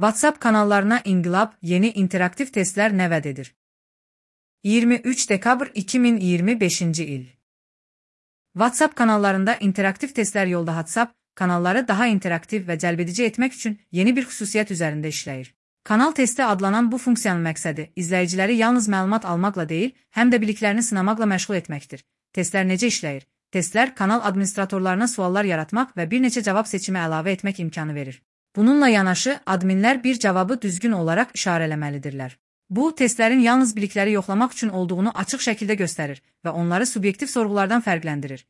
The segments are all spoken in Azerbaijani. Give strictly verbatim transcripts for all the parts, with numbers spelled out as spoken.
WhatsApp kanallarına inqilab yeni interaktiv testlər nə vəd edir? iyirmi üç dekabr iki min iyirmi beşinci il. WhatsApp kanallarında interaktiv testlər yolda WhatsApp kanalları daha interaktiv və cəlbedici etmək üçün yeni bir xüsusiyyət üzərində işləyir. Kanal testi adlanan bu funksiyanın məqsədi izləyiciləri yalnız məlumat almaqla deyil, həm də biliklərini sınamaqla məşğul etməkdir. Testlər necə işləyir? Testlər kanal administratorlarına suallar yaratmaq və bir neçə cavab seçimi əlavə etmək imkanı verir. Bununla yanaşı, adminlər bir cavabı düzgün olaraq işarələməlidirlər. Bu, testlərin yalnız bilikləri yoxlamaq üçün olduğunu açıq şəkildə göstərir və onları subyektiv sorğulardan fərqləndirir.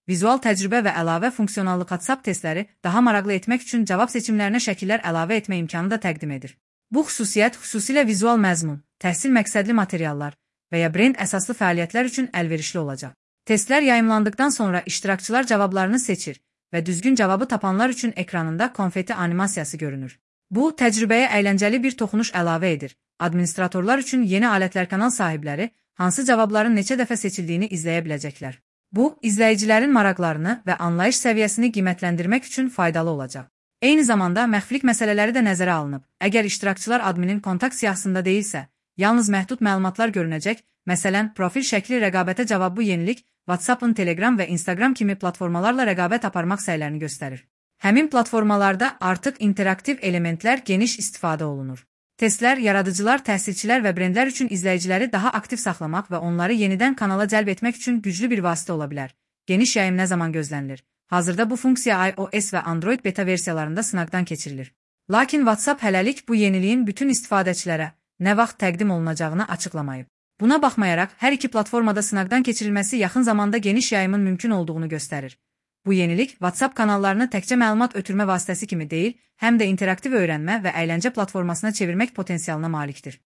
Vizual təcrübə və əlavə funksionallıq WhatsApp testləri daha maraqlı etmək üçün cavab seçimlərinə şəkillər əlavə etmə imkanı da təqdim edir. Bu xüsusiyyət xüsusilə vizual məzmun, təhsil məqsədli materiallar və ya brend əsaslı fəaliyyətlər üçün əlverişli olacaq. Testlər yayımlandıqdan sonra iştirakçılar cavablarını seçir və düzgün cavabı tapanlar üçün ekranında konfeti animasiyası görünür. Bu, təcrübəyə əyləncəli bir toxunuş əlavə edir. Administratorlar üçün yeni alətlər kanal sahibləri hansı cavabların neçə dəfə seçildiyini izləyə biləcəklər. Bu, izləyicilərin maraqlarını və anlayış səviyyəsini qiymətləndirmək üçün faydalı olacaq. Eyni zamanda məxfilik məsələləri də nəzərə alınıb. Əgər iştirakçılar adminin kontakt siyahısında deyilsə, yalnız məhdud məlumatlar görünəcək, məsələn, profil şəkli rəqabətə cavab bu yenilik WhatsApp'ın Telegram və Instagram kimi platformalarla rəqabət aparmaq səylərini göstərir. Həmin platformalarda artıq interaktiv elementlər geniş istifadə olunur. Testlər, yaradıcılar, təhsilçilər və brendlər üçün izləyiciləri daha aktiv saxlamaq və onları yenidən kanala cəlb etmək üçün güclü bir vasitə ola bilər. Geniş yayım nə zaman gözlənilir? Hazırda bu funksiya iOS və Android beta versiyalarında sınaqdan keçirilir. Lakin WhatsApp hələlik bu yeniliyin bütün istifadəçilərə nə vaxt təqdim olunacağını açıqlamayıb. Buna baxmayaraq, hər iki platformada sınaqdan keçirilməsi yaxın zamanda geniş yayımın mümkün olduğunu göstərir. Bu yenilik WhatsApp kanallarını təkcə məlumat ötürmə vasitəsi kimi deyil, həm də interaktiv öyrənmə və əyləncə platformasına çevirmək potensialına malikdir.